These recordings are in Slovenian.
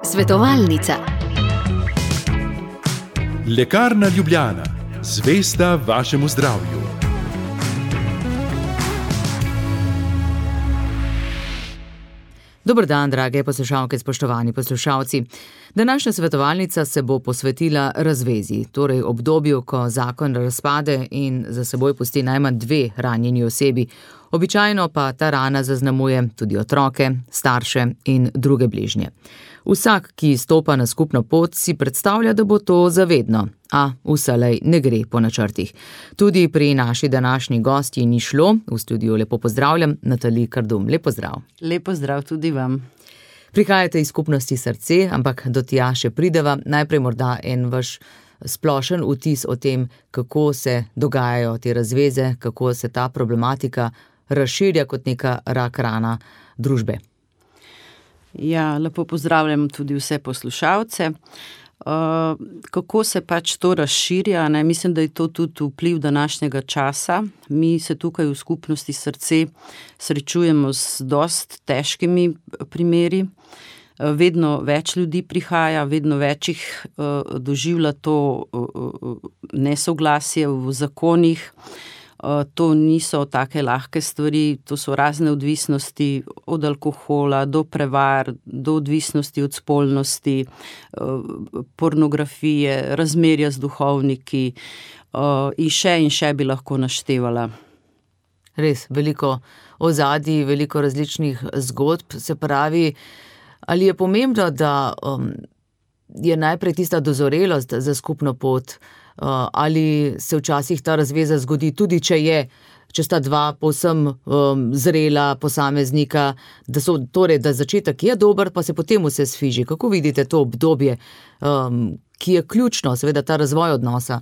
Svetovalnica. Lekarna Ljubljana, zvesta vašemu zdravju. Dober dan, drage poslušalke, spoštovani poslušalci. Današnja svetovalnica se bo posvetila razvezi, torej obdobju, ko zakon razpade in za seboj pusti najmanj 2 ranjeni osebi. Običajno pa ta rana zaznamuje tudi otroke, starše in druge bližnje. Vsak, ki stopa na skupno pot, si predstavlja, da bo to zavedno, a vselej ne gre po načrtih. Tudi pri naši današnji gostji ni šlo. V studiu lepo pozdravljam Natalij Kardum. Lep pozdrav. Lep pozdrav tudi vam. Prihajate iz skupnosti Srce, ampak do tja še prideva. Najprej morda en vaš splošen vtis o tem, kako se dogajajo te razveze, kako se ta problematika razširja kot neka rak rana družbe. Ja, lepo pozdravljam tudi vse poslušalce. Kako se pač to razširja, ne? Mislim, da je to tudi vpliv današnjega časa. Mi se tukaj v skupnosti Srce srečujemo z dost težkimi primeri. Vedno več ljudi prihaja, vedno več jih doživlja to nesoglasje v zakonih. To niso take lahke stvari, to so razne odvisnosti od alkohola do prevar, do odvisnosti od spolnosti, pornografije, razmerja z duhovniki in še bi lahko naštevala. Res, veliko ozadij, veliko različnih zgodb, se pravi, ali je pomembno, da je najprej tista dozorelost za skupno pot, ali se včasih ta razveza zgodi tudi, če sta 2 povsem zrela posameznika, da začetek je dober, pa se potem vse sfiži. Kako vidite to obdobje, ki je ključno, seveda ta razvoj odnosa?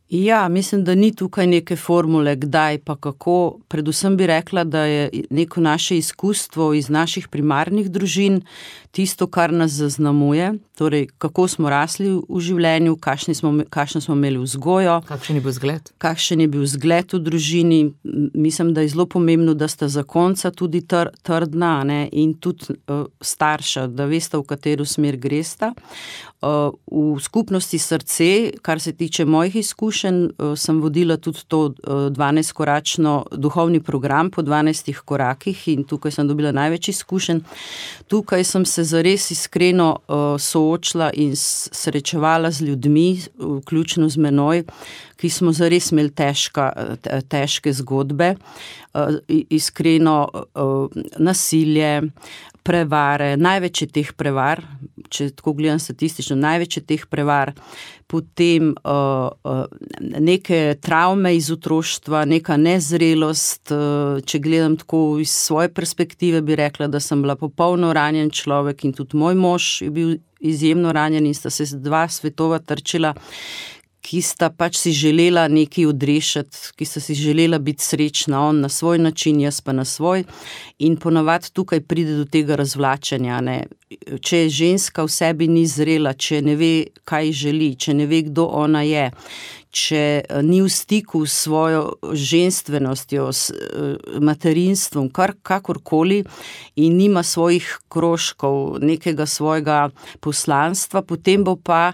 Ja, mislim, da ni tukaj neke formule, kdaj pa kako. Predvsem bi rekla, da je neko naše izkustvo iz naših primarnih družin tisto, kar nas zaznamuje, torej kako smo rasli v življenju, kakšno smo imeli vzgojo. Kakšen je bil zgled? Kakšen je bil zgled v družini. Mislim, da je zelo pomembno, da sta zakonca tudi trdna, ne? In tudi starša, da veste, v katero smer gresta. V skupnosti Srce, kar se tiče mojih izkušenj, sem vodila tudi to 12-koračno duhovni program po 12 korakih in tukaj sem dobila največ izkušenj. Tukaj sem se zares iskreno soočila in srečevala z ljudmi, vključno z menoj, ki smo zares imeli težke zgodbe, iskreno nasilje, prevare, največ je teh prevar, če tako gledam statistično, največ je teh prevar, potem neke travme iz otroštva, neka nezrelost, če gledam tako iz svoje perspektive, bi rekla, da sem bila popolno ranjen človek in tudi moj mož je bil izjemno ranjen in sta se 2 svetova trčila, ki sta pač si želela nekaj odrešiti, ki sta si želela biti srečna, on na svoj način, jaz pa na svoj. In ponavadi tukaj pride do tega razvlačenja, ne. Če ženska v sebi ni zrela, če ne ve, kaj želi, če ne ve, kdo ona je, če ni v stiku s svojo ženstvenostjo, s materinstvom, kakorkoli in nima svojih krožkov, nekega svojega poslanstva, potem bo pa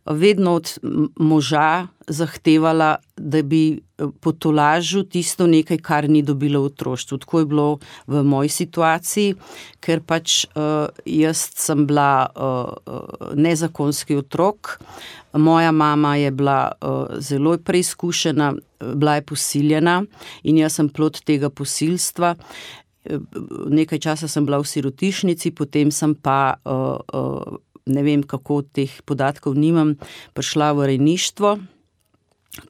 vedno od moža zahtevala, da bi potolažil tisto nekaj, kar ni dobila v otroštvu. Tako je bilo v moji situaciji, ker pač jaz sem bila nezakonski otrok. Moja mama je bila zelo preizkušena, bila je posiljena in jaz sem plod tega posilstva. Nekaj časa sem bila v sirotišnici, potem sem pa, ne vem kako, teh podatkov nimam, prišla v rejništvo.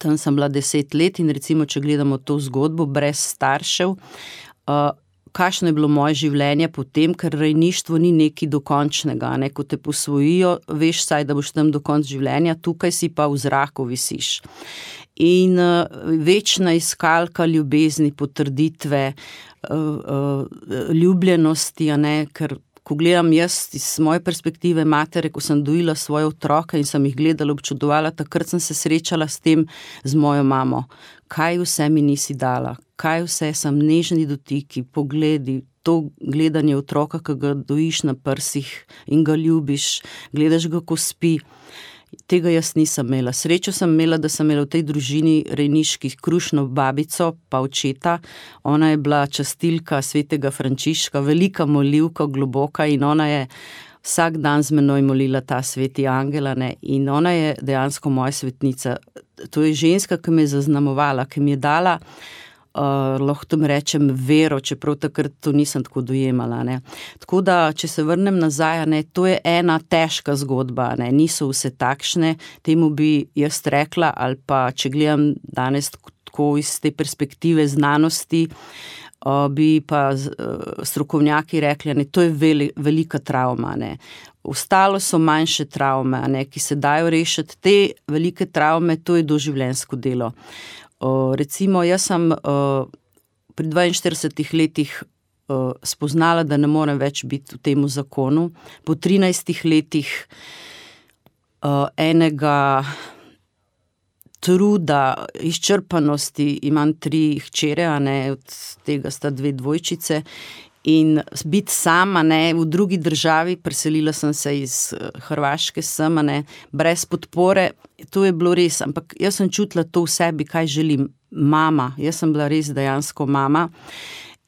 Tam sem bila 10 let in recimo, če gledamo to zgodbo brez staršev, kakšno je bilo moje življenje potem, ker rejništvo ni nekaj dokončnega, ne? Ko te posvojijo, veš saj, da boš tam do konca življenja, tukaj si pa v zraku visiš. In večna iskalka ljubezni, potrditve, ljubljenosti, ne? Ker ko gledam jaz iz moje perspektive matere, ko sem dojila svoje otroke in sem jih gledala, občudovala, takrat sem se srečala s tem, z mojo mamo. Kaj vse mi nisi dala, kaj vse sem, nežni dotiki, pogledi, to gledanje otroka, ki ga dojiš na prsih in ga ljubiš, gledaš ga, ko spi. Tega jaz nisem imela. Srečo sem imela, da sem imela v tej družini rejniški krušno babico, pa očeta. Ona je bila častilka svetega Frančiška, velika molivka, globoka, in ona je vsak dan z menoj molila ta sveti angel, in ona je dejansko moja svetnica. To je ženska, ki me je zaznamovala, ki mi je dala, lahko tam rečem, vero, čeprav takrat to nisem tako dojemala. Tako da, če se vrnem nazaj, to je ena težka zgodba, niso vse takšne, temu bi jaz rekla, ali pa, če gledam danes tako iz te perspektive znanosti, bi pa strokovnjaki rekli, to je velika travma. Ostalo so manjše travme, ki se dajo rešiti. Te velike travme, to je doživljenjsko delo. Recimo, jaz sem pri 42 letih spoznala, da ne morem več biti v temu zakonu. Po 13 letih enega truda, izčrpanosti, imam 3 hčere, od tega sta 2 dvojčice, in biti sama, v drugi državi, preselila sem se iz Hrvaške sem, brez podpore, to je bilo res, ampak jaz sem čutila to v sebi, kaj želim. Mama, jaz sem bila res dejansko mama.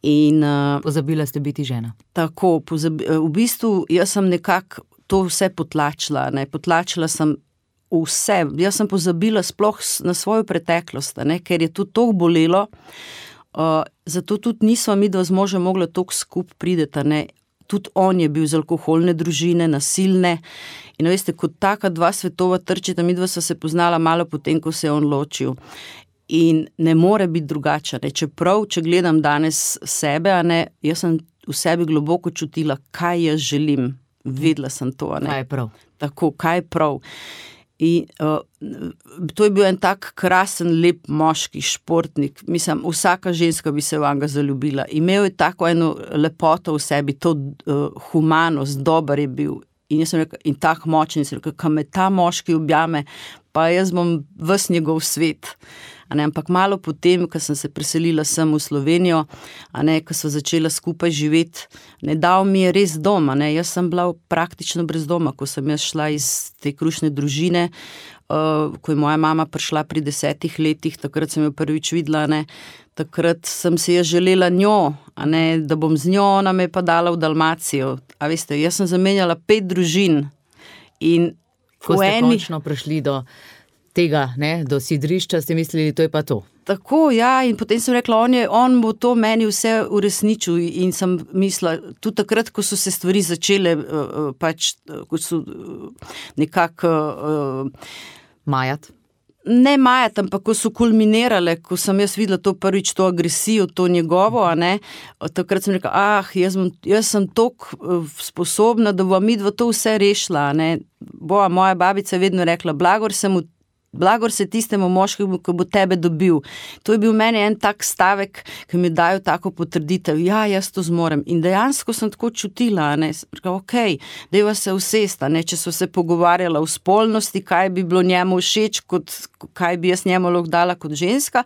In pozabila ste biti žena. Tako, v bistvu jaz sem nekako to vse potlačila, potlačila sem vse, jaz sem pozabila sploh na svojo preteklost, ker je to toliko bolelo. Zato tudi nisva midva z možem mogla toliko skup prideta, Tudi on je bil iz alkoholne družine, nasilne, in veste, kot taka 2 svetova trčeta, midva sva se poznala malo potem, ko se je on ločil. In ne more biti drugače, čeprav, če gledam danes sebe, jaz sem v sebi globoko čutila, kaj jaz želim, vedela sem to. Kaj je prav. Tako, kaj je prav. In to je bil en tak krasen, lep moški športnik. Mislim, vsaka ženska bi se vanga zaljubila. Imel je tako eno lepoto v sebi, to humanost, dober je bil. In jaz sem rekla, in tak močen, in sem rekla, ko me ta moški objame, pa jaz bom ves njegov svet. Ampak malo potem, ko sem se preselila sem v Slovenijo, ko sva začela skupaj živeti, dal mi je res dom. Jaz sem bila praktično brez doma, ko sem jaz šla iz te krušne družine, ko je moja mama prišla pri 10 letih, takrat sem jo prvič videla, takrat sem si jaz želela njo, da bom z njo, ona me pa dala v Dalmacijo. A veste, jaz sem zamenjala 5 družin. In ko ste končno prišli do tega, do sidrišča, ste mislili, to je pa to. Tako, ja, in potem sem rekla, on bo to meni vse uresničil, in sem mislila, tudi takrat, ko so se stvari začele, ko so nekako majati. Ne majati, ampak ko so kulminirale, ko sem jaz videla to prvič, to agresijo, to njegovo, takrat sem rekla, jaz sem toliko sposobna, da bova midva to vse rešila, moja babica je vedno rekla, blagor se tistemu moškemu, ki bo tebe dobil. To je bil meni en tak stavek, ki mi dajo tako potrditev. Ja, jaz to zmorem. In dejansko sem tako čutila, okej, dajva se usesta, če so se pogovarjala o spolnosti, kaj bi bilo njemu všeč, kaj bi jaz njemu lahko dala kot ženska.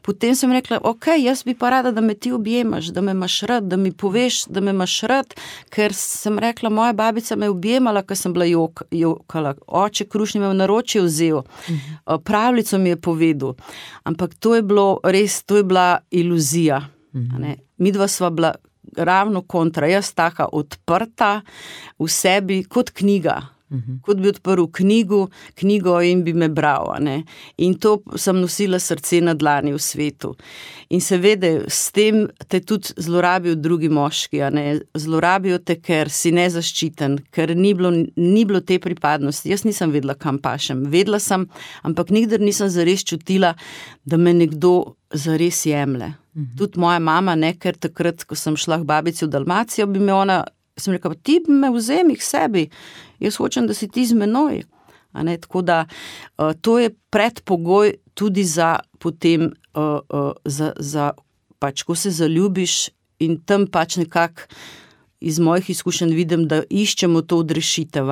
Potem sem rekla, okej, jaz bi pa rada, da me ti objemaš, da me imaš rad, da mi poveš, da me imaš rad, ker sem rekla, moja babica me objemala, ker sem bila jokala. Oče krušni me v naročje vzel. Pravljico mi je povedal, ampak to je bilo res, to je bila iluzija. Midva sva bila ravno kontra, jaz taka odprta v sebi kot knjiga. Kot bi odprl knjigo in bi me bral. In to sem nosila srce na dlani v svetu. In seveda s tem te tudi zlorabijo drugi moški. Zlorabijo te, ker si nezaščiten, ker ni bilo te pripadnosti. Jaz nisem vedela, kam pašem. Vedela sem, ampak nikdar nisem zares čutila, da me nekdo zares jemlje. Tudi moja mama, ker takrat, ko sem šla k babici v Dalmacijo, bi me ona, sem rekla, ti me vzemi k sebi, jaz hočem, da si ti z menoj. Tako da to je predpogoj tudi za potem, ko se zaljubiš, in tam nekako iz mojih izkušenj vidim, da iščemo to odrešitev,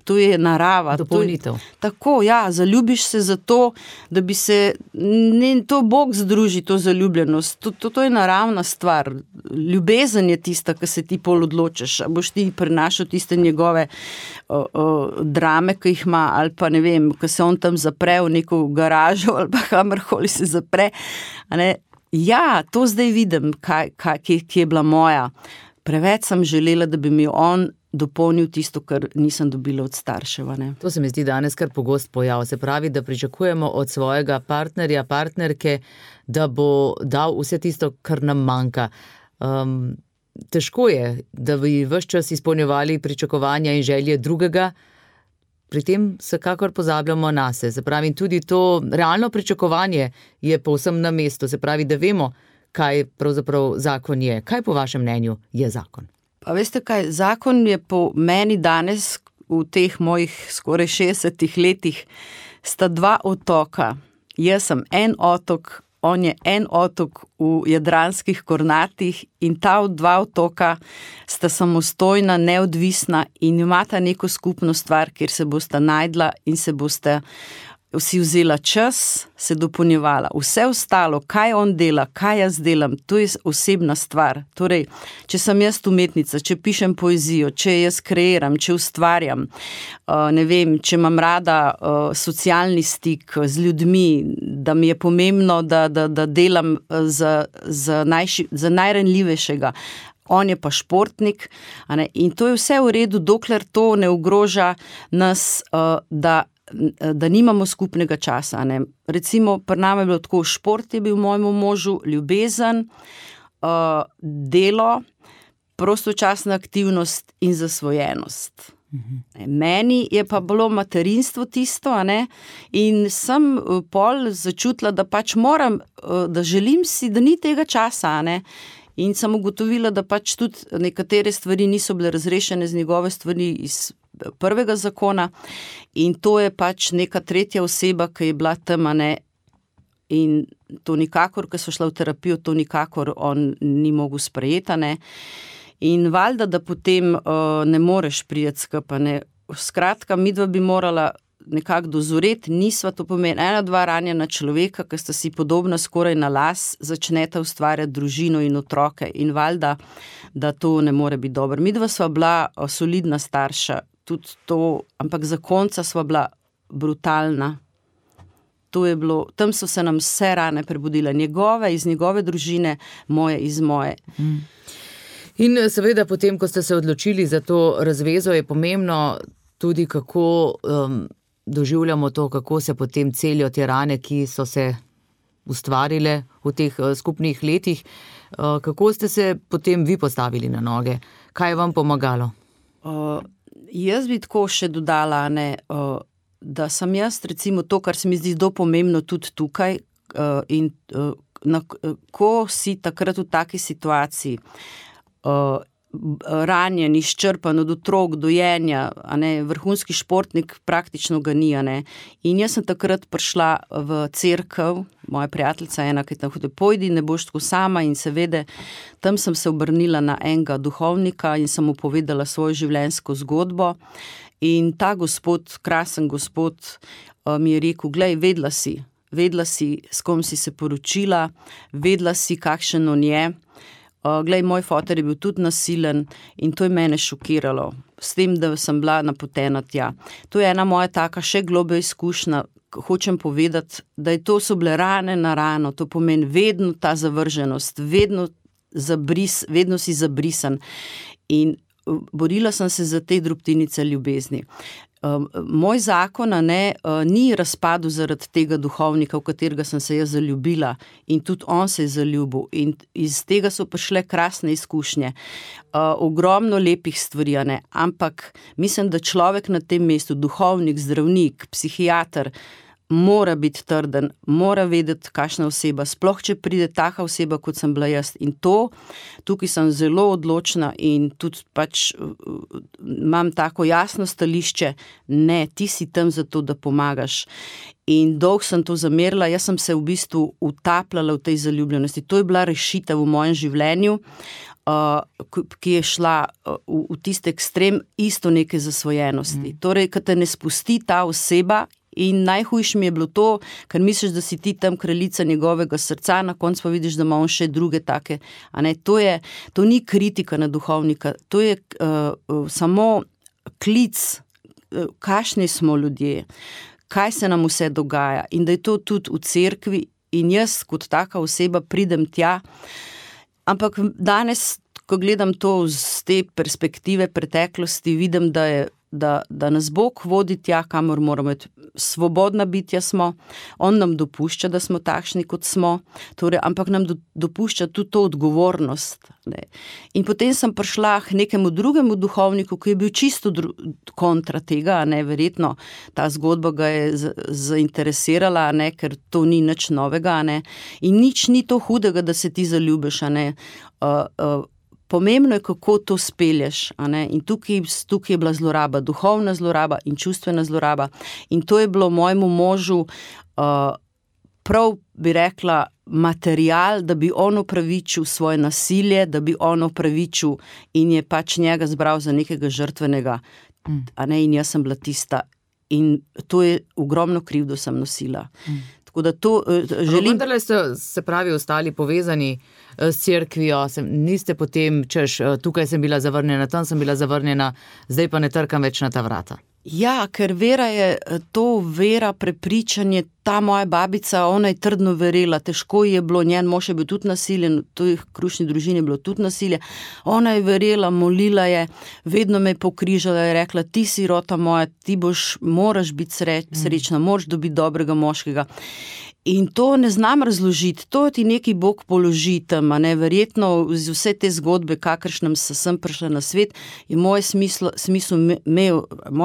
to je narava. Dopolnitev. Tako, ja, zaljubiš se zato, da bi se, to Bog združi, to zaljubljenost, to je naravna stvar. Ljubezen je tista, ki se ti pol odločiš, a boš ti prenašal tiste njegove drame, ki jih ima, ali pa ne vem, ko se on tam zapre v neko garažo, ali pa kamorkoli se zapre. Ja, to zdaj vidim, kje je bila moja. Preveč sem želela, da bi mi on dopolnil tisto, kar nisem dobila od staršev. To se mi zdi danes kar pogost pojav. Se pravi, da pričakujemo od svojega partnerja, partnerke, da bo dal vse tisto, kar nam manjka. Težko je, da bi ves čas izpolnjevali pričakovanja in želje drugega, pri tem vsekakor pozabljamo nase. Se pravi, tudi to realno pričakovanje je povsem na mestu. Se pravi, da vemo, kaj pravzaprav zakon je. Kaj po vašem mnenju je zakon? Pa veste kaj, zakon je po meni danes, v teh mojih skoraj 60 letih, sta 2 otoka. Jaz sem en otok, on je en otok v Jadranskih Kornatih in ta 2 otoka sta samostojna, neodvisna in imata neko skupno stvar, kjer se bosta najdla in se boste vsi vzela čas, se dopolnjevala. Vse ostalo, kaj on dela, kaj jaz delam, to je osebna stvar. Torej, če sem jaz umetnica, če pišem poezijo, če jaz kreiram, če ustvarjam, ne vem, če imam rada socialni stik z ljudmi, da mi je pomembno, da delam za najranljivejšega. On je pa športnik, in to je vse v redu, dokler to ne ogroža nas, da nimamo skupnega časa. Recimo, pri nama je bilo tako, šport je bil mojemu možu, ljubezen, delo, prostočasna aktivnost in zasvojenost. Meni je pa bilo materinstvo tisto, in sem pol začutila, da pač moram, da želim si, da ni tega časa, in sem ugotovila, da pač tudi nekatere stvari niso bile razrešene z njegove stvari iz prvega zakona in to je pač neka tretja oseba, ki je bila tam, in to nikakor, ko so šla v terapijo, to nikakor on ni mogel sprejeti, in valjda, da potem ne moreš priti skupaj, Skratka, midva bi morala nekako dozoreti, nisva, to pomeni 1-2 ranjena človeka, ki sta si podobna skoraj na las, začneta ustvarjati družino in otroke in valjda, da to ne more biti dobro. Midva sva bila solidna starša, tudi to, ampak za konca sva bila brutalna. To je bilo, tam so se nam vse rane prebudile, njegove iz njegove družine, moje iz moje. In seveda potem, ko ste se odločili za to razvezo, je pomembno tudi, kako doživljamo to, kako se potem celijo te rane, ki so se ustvarile v teh skupnih letih. Kako ste se potem vi postavili na noge? Kaj je vam pomagalo? Jaz bi tako še dodala, da sem jaz recimo to, kar se mi zdi zelo pomembno tudi tukaj, in ko si takrat v taki situaciji, ranjen, izčrpan od otrok, dojenja, vrhunski športnik praktično ga ni, in jaz sem takrat prišla v cerkev, moja prijateljica ena, ki je tam hodila, pojdi, ne boš tako sama, in seveda tam sem se obrnila na enega duhovnika in sem mu povedala svojo življenjsko zgodbo in ta gospod, krasen gospod, mi je rekel, glej, vedela si, s kom si se poročila, vedela si, kakšen on je. Glej, moj foter je bil tudi nasilen in to je mene šokiralo, s tem, da sem bila napotena tja. To je ena moja taka še globlja izkušnja, hočem povedati, da so bile rane na rano, to pomeni vedno ta zavrženost, vedno si zabrisan in borila sem se za te drobtinice ljubezni. Moj zakon ni razpadel zaradi tega duhovnika, v katerega sem se jaz zaljubila in tudi on se je zaljubil in iz tega so prišle krasne izkušnje, ogromno lepih stvari, ampak mislim, da človek na tem mestu, duhovnik, zdravnik, psihiater, mora biti trden, mora vedeti, kakšna oseba, sploh če pride taka oseba, kot sem bila jaz. In tukaj sem zelo odločna in tudi pač imam tako jasno stališče, ne, ti si tam zato, da pomagaš. In dolgo sem to zamerila, jaz sem se v bistvu utapljala v tej zaljubljenosti. To je bila rešitev v mojem življenju. ki je šla v tiste ekstrem isto neke zasvojenosti. Torej, ko te ne spusti ta oseba. In najhujše mi je bilo to, ker misliš, da si ti tam kraljica njegovega srca, na koncu pa vidiš, da ima on še druge take. To ni kritika na duhovnika, to je samo klic, kakšni smo ljudje, kaj se nam vse dogaja in da je to tudi v cerkvi in jaz kot taka oseba pridem tja. Ampak danes, ko gledam to z te perspektive preteklosti, vidim, da nas Bog vodi tja, kamor moramo iti. Svobodna bitja smo, on nam dopušča, da smo takšni, kot smo, torej, ampak nam dopušča tudi to odgovornost. Ne. In potem sem prišla k nekemu drugemu duhovniku, ki je bil čisto kontra tega, verjetno ta zgodba ga je zainteresirala, ker to ni nič novega, in nič ni to hudega, da se ti zaljubiš, Pomembno je, kako to spelješ, in tukaj je bila zloraba, duhovna zloraba in čustvena zloraba. In to je bilo mojemu možu, prav bi rekla, material, da bi on opravičil svoje nasilje, da bi on opravičil in je pač njega zbral za nekega žrtvenega. In jaz sem bila tista. In to je ogromno krivdo sem nosila. Tako da to želim... Vendarle ste, se pravi, ostali povezani s cerkvijo, niste potem, tukaj sem bila zavrnjena, tam sem bila zavrnjena, zdaj pa ne trkam več na ta vrata. Ja, ker vera je to, vera, prepričanje, ta moja babica, ona je trdno verila, težko je bilo, njen mož je bil tudi nasiljen, v toj krušni družini je bilo tudi nasilje, ona je verila, molila je, vedno me je pokrižala, je rekla, ti si rota moja, ti moraš biti srečna, moraš dobiti dobrega moškega. In to ne znam razložiti, to ti neki Bog položi tam, verjetno z vse te zgodbe, kakršnem sem prišla na svet, je moje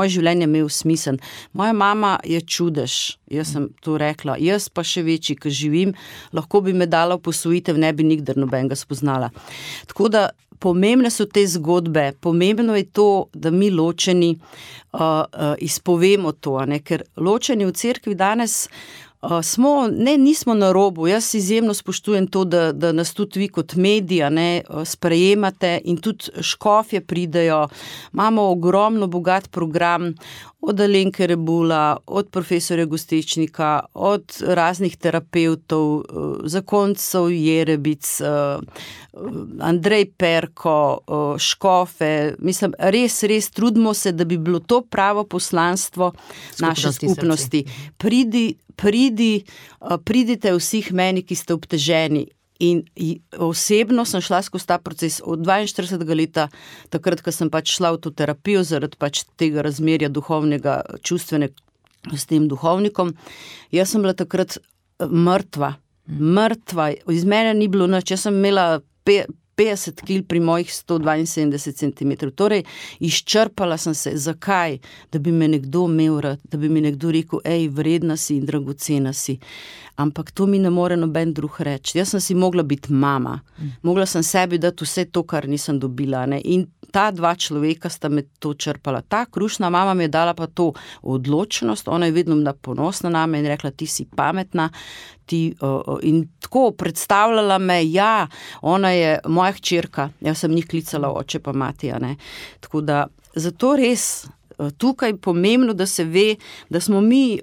življenje imel smisel. Moja mama je čudež, jaz sem to rekla, jaz pa še večji, ko živim, lahko bi me dala v posvojitev, ne bi nikdar nobenega spoznala. Tako da pomembne so te zgodbe, pomembno je to, da mi ločeni izpovemo to, ker ločeni v cerkvi danes nismo na robu, jaz izjemno spoštujem to, da nas tudi vi kot mediji sprejemate in tudi škofje pridejo, imamo ogromno bogat program, od Alenke Rebula, od profesorja Gostečnika, od raznih terapevtov, zakoncev Jerebic, Andrej Perko, škofe, mislim, res trudimo se, da bi bilo to pravo poslanstvo naše skupnosti. Pridite vseh meni, ki ste obteženi. In osebno sem šla skozi ta proces od 42. leta, takrat, ko sem pač šla v to terapijo zaradi pač tega razmerja duhovnega, čustvenega s tem duhovnikom. Jaz sem bila takrat mrtva, iz mene ni bilo nič, jaz sem imela 50 kil pri mojih 172 cm, torej izčrpala sem se. Zakaj? Da bi me nekdo imel rad, da bi mi nekdo rekel, vredna si in dragocena si. Ampak to mi ne more noben drug reči. Jaz sem si mogla biti mama, mogla sem sebi dati vse to, kar nisem dobila. In ta dva človeka sta me to črpala. Ta krušna mama mi je dala pa to odločnost, ona je vedno bila ponosna na me in rekla, ti si pametna, in tako predstavljala me, ona je moja hčerka, jaz sem njih klicala oče pa mati, Tako da, zato res tukaj pomembno, da se ve, da smo mi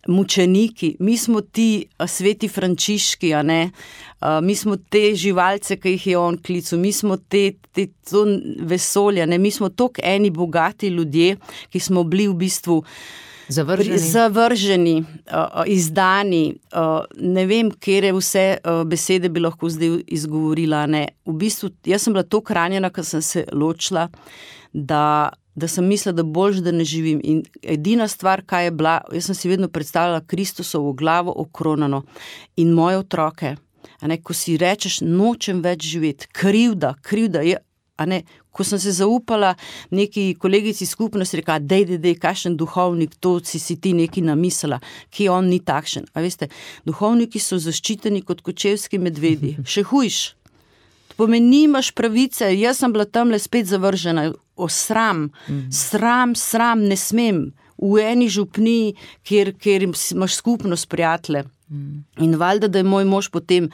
mučeniki, mi smo ti sveti Frančiški, mi smo te živalce, ki jih je on klical, mi smo to vesolja, mi smo toliko eni bogati ljudje, ki smo bili v bistvu zavrženi, izdani, ne vem, kere vse besede bi lahko zdaj izgovorila. V bistvu, jaz sem bila toliko ranjena, ko sem se ločila, da sem mislila, da boljš, da ne živim. In edina stvar, kaj je bila, jaz sem si vedno predstavljala Kristusovo glavo okronano in moje otroke. Ko si rečeš, nočem več živeti, krivda je, ko sem se zaupala neki kolegici skupnosti, rekla, dej, kakšen duhovnik, to si ti nekaj namislila, ki on ni takšen. A veste, duhovniki so zaščiteni kot kočevski medvedi, še hujš. To pomeni, nimaš pravice, jaz sem bila tamle spet zavržena, sram, ne smem, v eni župni, kjer imaš skupnost prijatelje. In valjda, da je moj mož potem,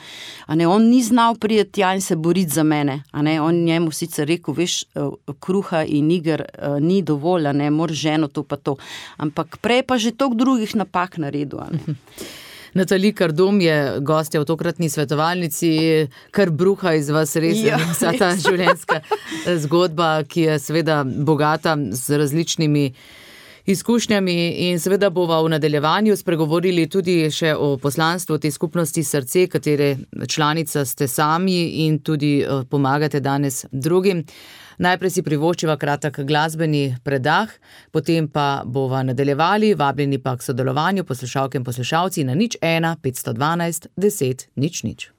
on ni znal priti tja in se boriti za mene, on njemu sicer rekel, veš, kruha in iger ni dovolj, moraš ženo to pa to, ampak prej pa že toliko drugih napak naredil, Natalija Kardum je gostja v tokratni svetovalnici, kar bruha iz vas res, vsa ta življenjska zgodba, ki je seveda bogata z različnimi izkušnjami in seveda bova v nadaljevanju spregovorili tudi še o poslanstvu te skupnosti Srce, katere članica ste sami in tudi pomagate danes drugim. Najprej si privoščiva kratek glasbeni predah, potem pa bova nadaljevali, vabljeni pa k sodelovanju poslušalke in poslušalci na 01 512 10 00.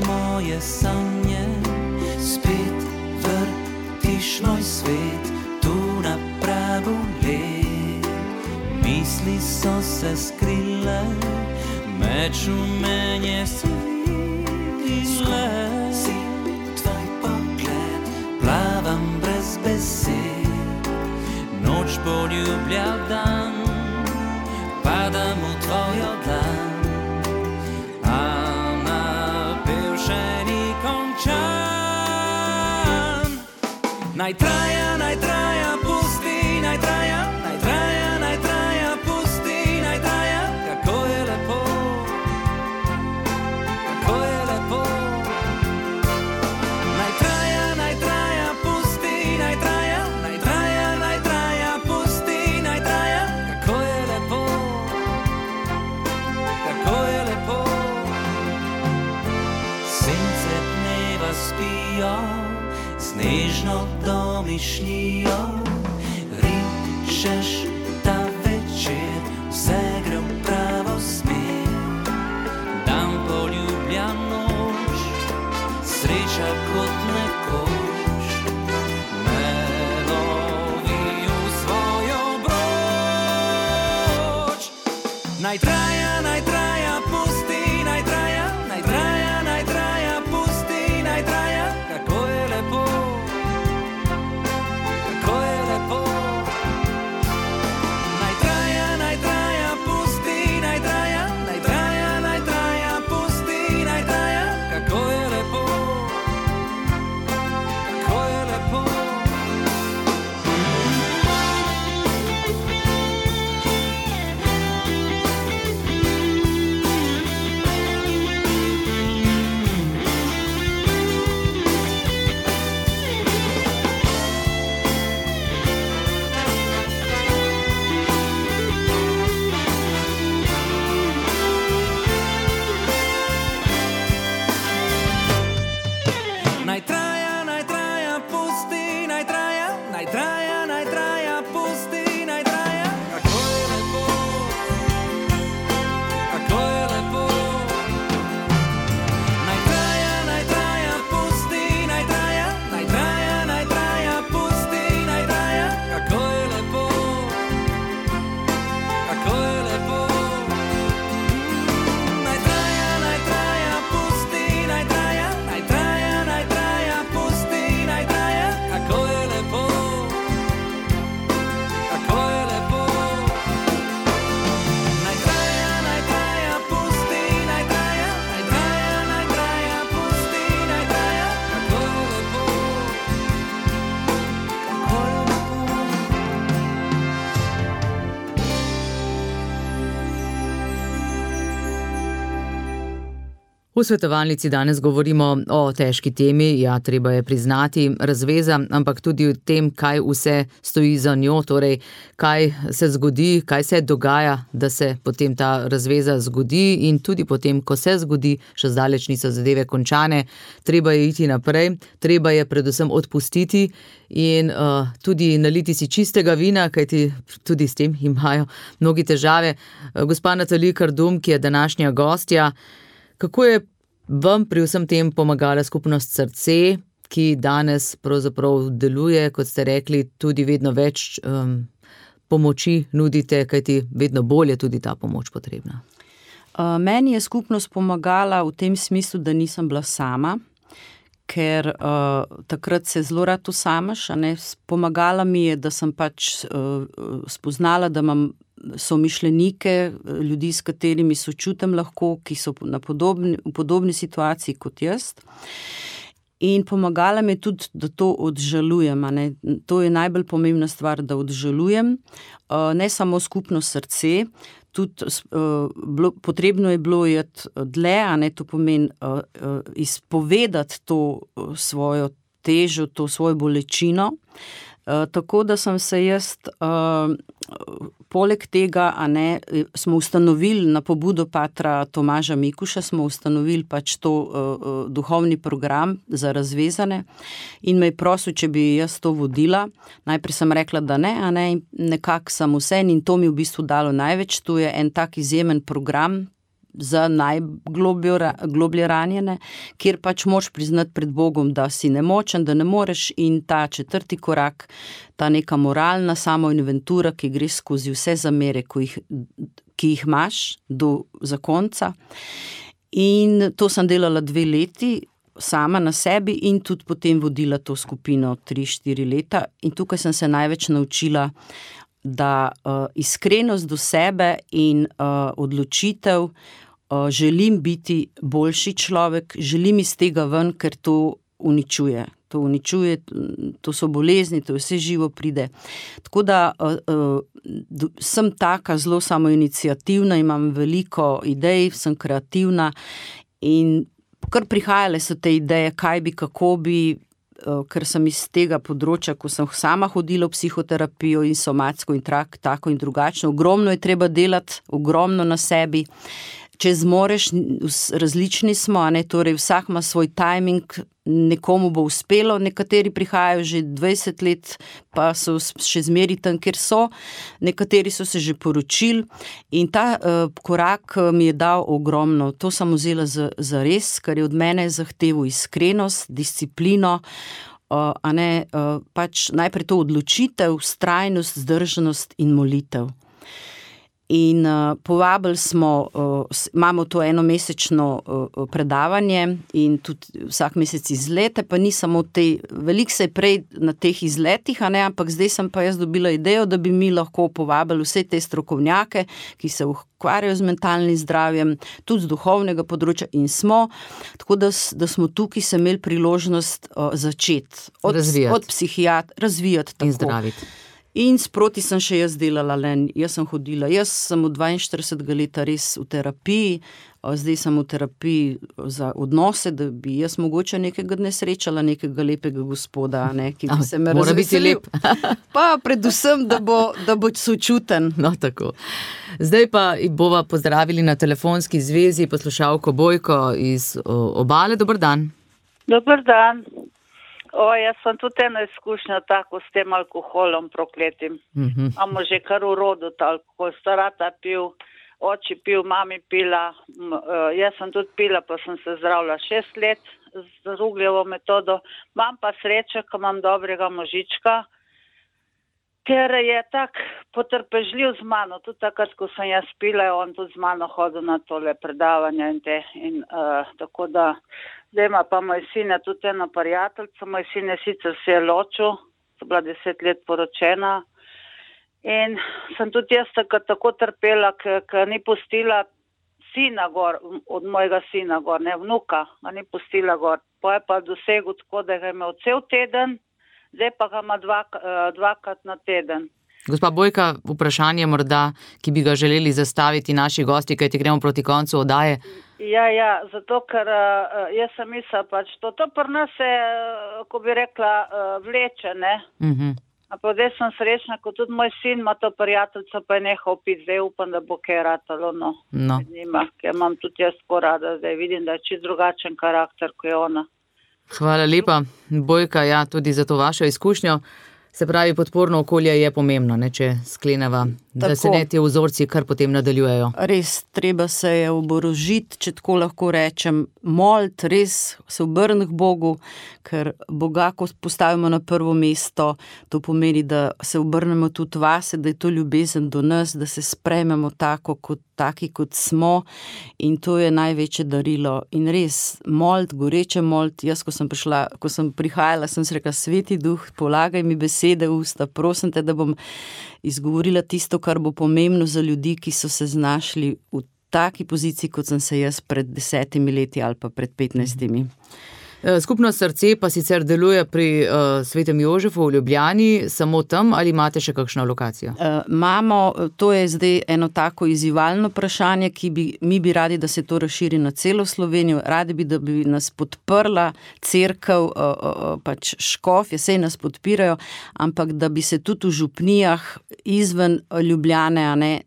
Moje sanje, spet vrtiš moj svet, tu na pragu let. Misli so se skrile, meč v menje svile. Si tvoj pogled, plavam brez besed, noč poljublja dan, padam v tvojo dlan. Naj traja, pusti, naj traja, pusti, naj traja, kako je lepo, Naj traja, pusti, naj traja, pusti, naj traja, kako je lepo, Sence dneva spijo, snežno domišljijo, rišeš ta večer, vse gre v pravo smer. Dan poljublja noč, sreča kot nekoč, me lovi v svojo broč. Naj traja, pusti, naj traja, pusti, naj traja, kako je lepo. V svetovalnici danes govorimo o težki temi, treba je priznati, razveza, ampak tudi o tem, kaj vse stoji za njo, torej kaj se zgodi, kaj se dogaja, da se potem ta razveza zgodi in tudi potem, ko se zgodi, še zdaleč niso zadeve končane, treba je iti naprej, treba je predvsem odpustiti in tudi naliti si čistega vina, kajti tudi s tem imajo mnogi težave. Gospa Natalija Kardum, ki je današnja gostja, kako je vam pri vsem tem pomagala skupnost Srce, ki danes pravzaprav deluje, kot ste rekli, tudi vedno več pomoči nudite, kajti vedno bolj je tudi ta pomoč potrebna. Meni je skupnost pomagala v tem smislu, da nisem bila sama, ker takrat se zelo rad osamaš, pomagala mi je, da sem pač spoznala, da imam somišljenike, ljudi, s katerimi sočutim lahko, ki so v podobni situaciji kot jaz. In pomagala mi je tudi, da to odžalujem. To je najbolj pomembna stvar, da odžalujem. Ne samo skupno srce, tudi potrebno je bilo iti dlje, to pomeni izpovedati to svojo težo, to svojo bolečino. Tako da sem se jaz, poleg tega, smo ustanovili na pobudo patra Tomaža Mikuša, smo ustanovili pač to duhovni program za razvezane in me je prosil, če bi jaz to vodila. Najprej sem rekla, da ne, nekako sem vse in to mi v bistvu dalo največ. To je en tak izjemen program za najgloblje ranjene, kjer pač moraš priznati pred Bogom, da si nemočen, da ne moreš, in ta 4. korak, ta neka moralna samoinventura, ki gre skozi vse zamere, ki jih imaš do zakonca. In to sem delala 2 leti, sama na sebi in tudi potem vodila to skupino 3-4 leta in tukaj sem se največ naučila, da iskrenost do sebe in odločitev, želim biti boljši človek, želim iz tega ven, ker to uničuje. To so bolezni, to vse živo pride. Tako da sem taka zelo samoiniciativna, imam veliko idej, sem kreativna in kar prihajale so te ideje, kaj bi, kako bi, ker sem iz tega področja, ko sem sama hodila v psihoterapijo in somatsko in tako in drugačno. Ogromno je treba delati, ogromno na sebi. Če zmoreš, različni smo, torej vsak ima svoj timing, nekomu bo uspelo, nekateri prihajajo že 20 let, pa so še zmeri tam, kjer so, nekateri so se že poročili in ta korak mi je dal ogromno. To sem vzela za res, kar je od mene zahteval iskrenost, disciplino, pač najprej to odločitev, vztrajnost, zdržanost in molitev. In povabili smo, imamo to enomesečno predavanje in tudi vsak mesec izlete, pa ni samo veliko se je prej na teh izletih, ampak zdaj sem pa jaz dobila idejo, da bi mi lahko povabili vse te strokovnjake, ki se ukvarjajo z mentalnim zdravjem, tudi z duhovnega področja in smo, tako da smo tukaj se imeli priložnost začeti. Od psihiatra, razvijati tako. In zdraviti. In sproti sem še jaz delala, jaz sem hodila, jaz sem od 42 leta res v terapiji, zdaj sem v terapiji za odnose, da bi jaz mogoče nekega dne srečala nekega lepega gospoda, ki bi se me razveselil. Mora biti lep. Pa predvsem, da bo sočuten. No, tako. Zdaj pa bova pozdravili na telefonski zvezi poslušalko Bojko iz Obale. Dober dan. Dober dan. Jaz sem tudi eno izkušnjo tako s tem alkoholom prokletim. Amo že kar v rodu alkohol, starata pil, oči pil, mami pila, jaz sem tudi pila, pa sem se zdravila 6 let z Rugljevo metodo. Imam pa srečo, ko imam dobrega možička, ker je tak potrpežljiv z mano. Tudi takrat, ko sem jaz pila, je on tudi z mano hodil na tole predavanja in tako da. Zdaj ima pa moj sin tudi eno prijateljico, moj sin je sicer se je ločil, so bila 10 let poročena in sem tudi jaz tako trpela, ker ni pustila sina gor, od mojega sina gor, vnuka, ga ni pustila gor. Pa je pa dosegel tako, da ga je imel cel teden, zdaj pa ga ima dvakrat na teden. Gospa Bojka, vprašanje morda, ki bi ga želeli zastaviti naši gosti, kajti gremo proti koncu oddaje. Ja, zato ker jaz sem mislila pač, to pri nas se, ko bi rekla, vleče, Ampak zdaj sem srečna, ko tudi moj sin ima to prijateljico, pa je nehal piti, zdaj upam, da bo kaj ratalo, med njima, ker imam tudi jaz porada, zdaj vidim, da je čisto drugačen karakter, kot je ona. Hvala lepa, Bojka, tudi za to vašo izkušnjo. Se pravi, podporno okolje je pomembno, če skleneva Da se ne te vzorci kar potem nadaljujejo. Res, treba se je oborožiti, če tako lahko rečem, moliti, res se obrniti k Bogu, ker Boga, ko postavimo na prvo mesto, to pomeni, da se obrnemo tudi vase, da je to ljubezen do nas, da se sprejmemo taki, kot smo, in to je največje darilo. In res, moliti, goreče moliti. Jaz, ko sem prihajala, sem se rekla, Sveti Duh, polagaj mi besede v usta, prosim te, da bom izgovorila tisto, kar bo pomembno za ljudi, ki so se znašli v taki poziciji, kot sem se jaz pred 10 leti ali pa pred 15. Skupnost Srce pa sicer deluje pri Svetem Jožefu v Ljubljani, samo tam, ali imate še kakšno lokacijo? Imamo, to je zdaj eno tako izzivalno vprašanje, mi bi radi, da se to razširi na celo Slovenijo, radi bi, da bi nas podprla cerkev, pač škofje, saj nas podpirajo, ampak da bi se tudi v župnijah izven Ljubljane,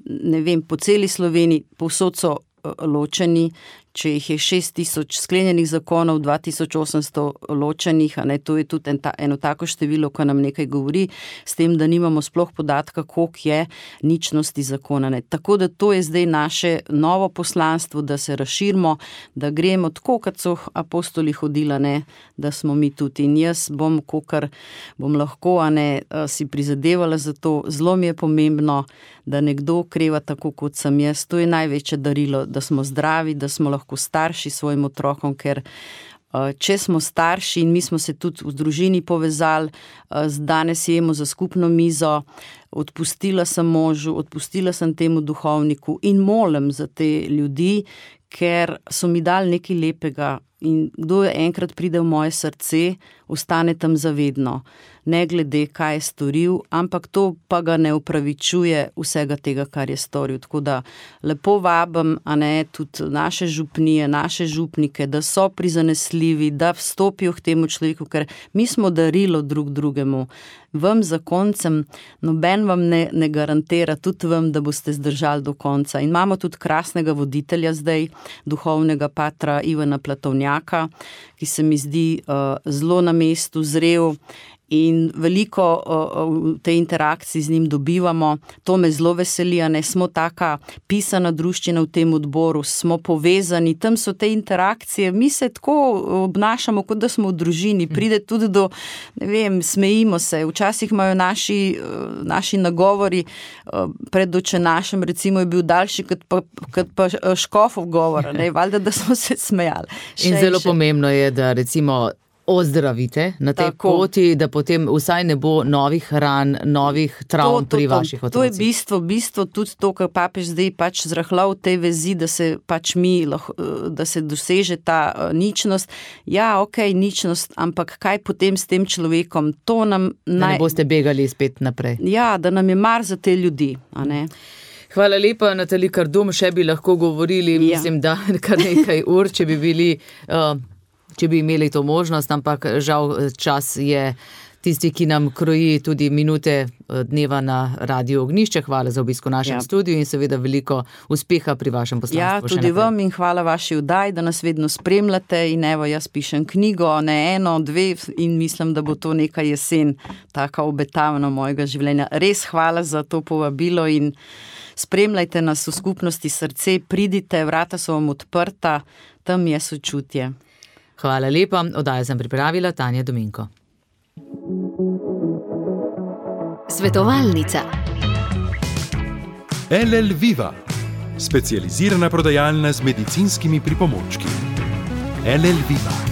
ne vem, po celi Sloveniji, povsod so ločeni, če jih je 6000 sklenjenih zakonov, 2800 ločenih, to je tudi eno tako število, ko nam nekaj govori, s tem, da nimamo sploh podatka, koliko je ničnosti zakona. Tako da to je zdaj naše novo poslanstvo, da se razširimo, da gremo tako, kot so apostoli hodila, da smo mi tudi. In jaz bom, kolikor bom lahko, si prizadevala za to. Zelo mi je pomembno, da nekdo kreva tako, kot sem jaz. To je največje darilo, da smo zdravi, da smo lahko starši svojim otrokom, ker če smo starši in mi smo se tudi v družini povezali, danes jemo za skupno mizo, odpustila sem možu, odpustila sem temu duhovniku in molim za te ljudi, ker so mi dali nekaj lepega in kdo je enkrat pride v moje srce, ostane tam zavedno. Ne glede, kaj je storil, ampak to pa ga ne upravičuje vsega tega, kar je storil. Tako da lepo vabim, tudi naše župnije, naše župnike, da so prizanesljivi, da vstopijo k temu človeku, ker mi smo darilo drug drugemu. Vam zakoncem, noben vam ne garantira, tudi vam, da boste zdržali do konca. In imamo tudi krasnega voditelja zdaj, duhovnega patra Ivana Platovnjaka, ki se mi zdi zelo na mestu, zrel, in veliko v tej interakciji z njim dobivamo. To me zelo veseli, smo taka pisana druščina v tem odboru, smo povezani, tam so te interakcije, mi se tako obnašamo, kot da smo v družini, pride tudi do, ne vem, smejimo se, včasih imajo naši nagovori pred očenašem, recimo je bil daljši, kot pa škofov govor, valjda, da smo se smejali. In zelo pomembno je, da recimo ozdravite na tej poti, da potem vsaj ne bo novih ran, novih travm pri vaših otrocih. To je bistvo tudi to, kar papež zdaj pač zrahljal v tej vezi, da se pač da se doseže ta ničnost. Ja, ničnost, ampak kaj potem s tem človekom? To nam da ne boste begali spet naprej. Ja, da nam je mar za te ljudi, Hvala lepa, Natali Kardum, še bi lahko govorili, mislim, da kar nekaj ur, če bi imeli to možnost, ampak žal čas je tisti, ki nam kroji tudi minute dneva na Radiu Ognjišče. Hvala za obisk v našem studiu in seveda veliko uspeha pri vašem poslanstvu. Ja, tudi vam in hvala vaši vdaji, da nas vedno spremljate in evo, jaz pišem knjigo, ne eno, dve in mislim, da bo to neka jesen, taka obetavna mojega življenja. Res hvala za to povabilo in spremljajte nas v skupnosti Srce, pridite, vrata so vam odprta, tam je sočutje. Hvala lepa, oddajo sem pripravila Tanja Dominko. Svetovalnica. LL Viva, specializirana prodajalna z medicinskimi pripomočki. LL Viva.